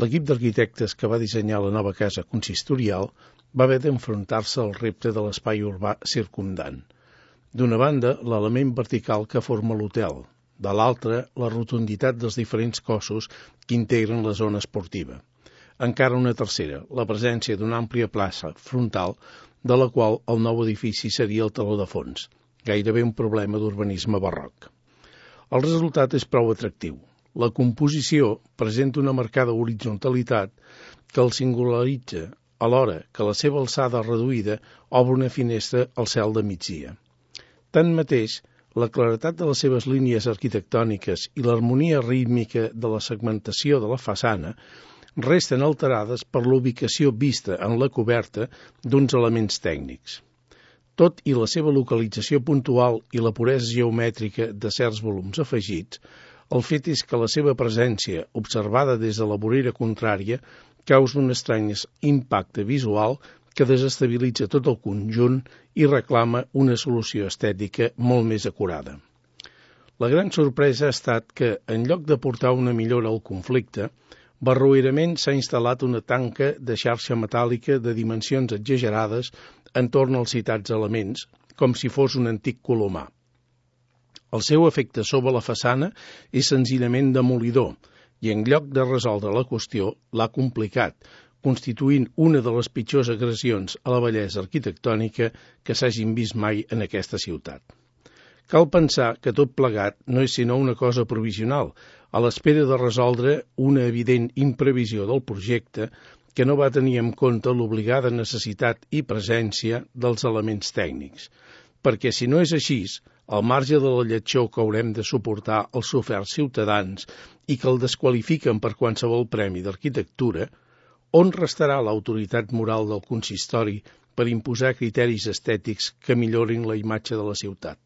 l'equip d'arquitectes que va dissenyar la nova casa consistorial va haver d'enfrontar-se al repte de l'espai urbà circumdant. D'una banda, l'element vertical que forma l'hotel, de l'altra, la rotunditat dels diferents cossos que integren la zona esportiva. Encara una tercera, la presència d'una àmplia plaça frontal, de la qual el nou edifici seria el teló de fons, gairebé un problema d'urbanisme barroc. El resultat és prou atractiu. La composició presenta una marcada horitzontalitat que el singularitza, alhora que la seva alçada reduïda obre una finestra al cel de migdia. Tanmateix, la claretat de les seves línies arquitectòniques i l'harmonia rítmica de la segmentació de la façana resten alterades per la ubicació vista en la coberta d'uns elements tècnics. Tot i la seva localització puntual i la puresa geomètrica de certs volums afegits, el fet és que la seva presència, observada des de la vorera contrària, causa un estrany impacte visual que desestabilitza tot el conjunt i reclama una solució estètica molt més acurada. La gran sorpresa ha estat que, en lloc de portar una millora al conflicte, barroerament s'ha instal·lat una tanca de xarxa metàl·lica de dimensions exagerades entorn als citats elements, com si fos un antic colomar. El seu efecte sobre la façana és senzillament demolidor i, en lloc de resoldre la qüestió, l'ha complicat, constituint una de les pitjors agressions a la bellesa arquitectònica que s'hagin vist mai en aquesta ciutat. Cal pensar que tot plegat no és sinó una cosa provisional, a l'espera de resoldre una evident imprevisió del projecte que no va tenir en compte l'obligada necessitat i presència dels elements tècnics, perquè si no és així, al marge de la lletjor que haurem de suportar els soferts ciutadans i que el desqualifiquen per qualsevol premi d'arquitectura, on restarà l'autoritat moral del consistori per imposar criteris estètics que millorin la imatge de la ciutat?